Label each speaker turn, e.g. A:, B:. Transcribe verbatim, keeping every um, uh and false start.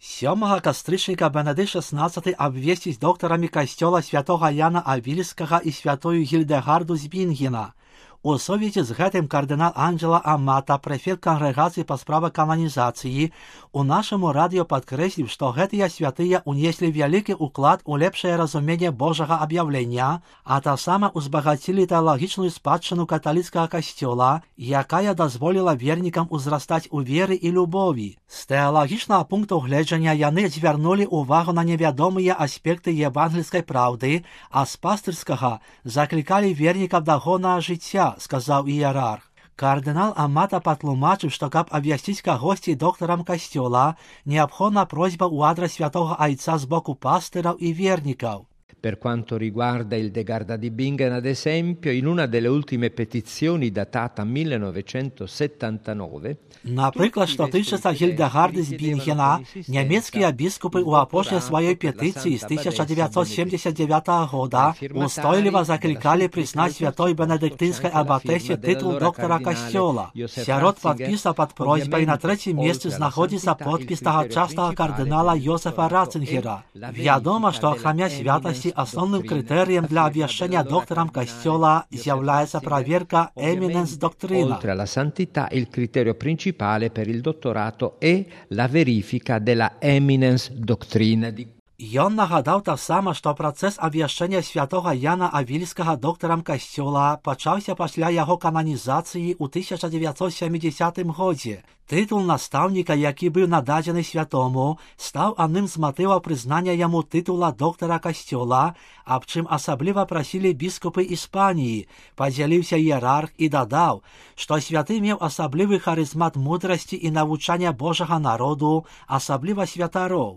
A: сьомого кастрычніка Бенедикт шестнадцатый обвесціць доктарамі касцёла святого Яна Авільскага і святую Гільдэгарду з Бінгена. У сувязі з гэтым кардынал Анджела Амата, прэфект кангрэгацыі па справах кананізацыі, у нашаму радыё падкрэсліў, што гэтыя святыя унеслі вялікі ўклад у лепшае разуменне Божага аб'яўлення, а таксама узбагацілі тэалагічную спадчыну каталіцкага касцёла, якая дазволіла вернікам узрастаць у веры і любові. З тэалагічнага пункту гледжання яны звярнулі ўвагу на невядомыя аспекты евангельскай праўды, а з пастырскага заклікалі вернікаў да гоннага жыцця, сказаў іерарх. Кардынал Амата патлумачыў, што каб абвясціць кагосьці доктарам касцёла, неабходна просьба ў адрас святого Айца з боку пастыраў і вернікаў.
B: Per quanto riguarda il Degarda di Bingen, ad esempio, in una delle ultime petizioni datata millenovecentosettantanove,
A: напрыклад, што тычыцца Гільдэгарды з Бінгена, нямецкія біскупы ў апошняй сваёй петыцыі з тысяча девятьсот семьдесят девятого года устойліва заклікалі прызнаць святой бенедыктынскай абатэсе тытул доктара касцёла. Сярод падпісаў пад просьбай на трэцім месцы знаходзіцца подпіс тагачаснага кардынала Йозефа Ратцингера. Вядома, што акрамя святасці основным критерием для обвящения доктором костела является проверка eminence doctrina.
B: Oltre alla santità, il criterio principale per il dottorato è la verifica della eminence doctrina.
A: Ён нагадаў таксама, што працэс абвяшчэння святога Яна Авільскага доктарам касцёла пачаўся пасля яго кананізацыі ў тысяча девятьсот семидесятым годзе. Тытул настаўніка, які быў нададзены святому, стаў адным з матываў прызнання яму тытула доктара касцёла, аб чым асабліва прасілі біскупы Іспаніі, падзяліўся іерарх і дадаў, што святы меў асаблівы харызмат мудрасці і навучання Божага народу, асабліва святароў.